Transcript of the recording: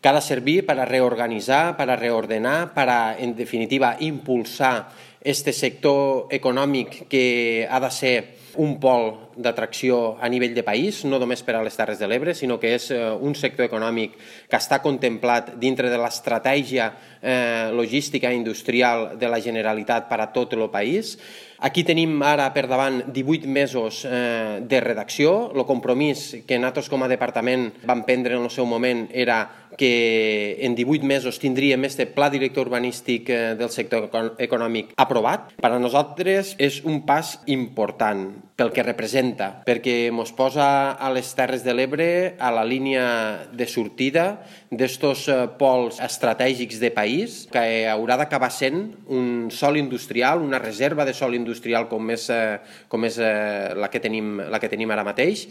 que ha de servir para reorganizar, para reordenar, para, en definitiva, impulsar este sector econòmic que ha de ser un pol d'atracció a nivell de país, no només per a les Terres de l'Ebre, sinó que és un sector econòmic que està contemplat dintre de l'estratègia logística i industrial de la Generalitat per a tot el país. Aquí tenim ara per davant 18 mesos de redacció. El compromís que nosaltres com a departament vam prendre en el seu moment era que en 18 mesos tindríem este pla director urbanístic del sector econòmic aprovat. Per a nosaltres és un pas important pel que representa, perquè ens posa a les Terres de l'Ebre a la línia de sortida d'estos pols estratègics de país que haurà d'acabar sent un sòl industrial, una reserva de sòl industrial com és la que tenim ara mateix.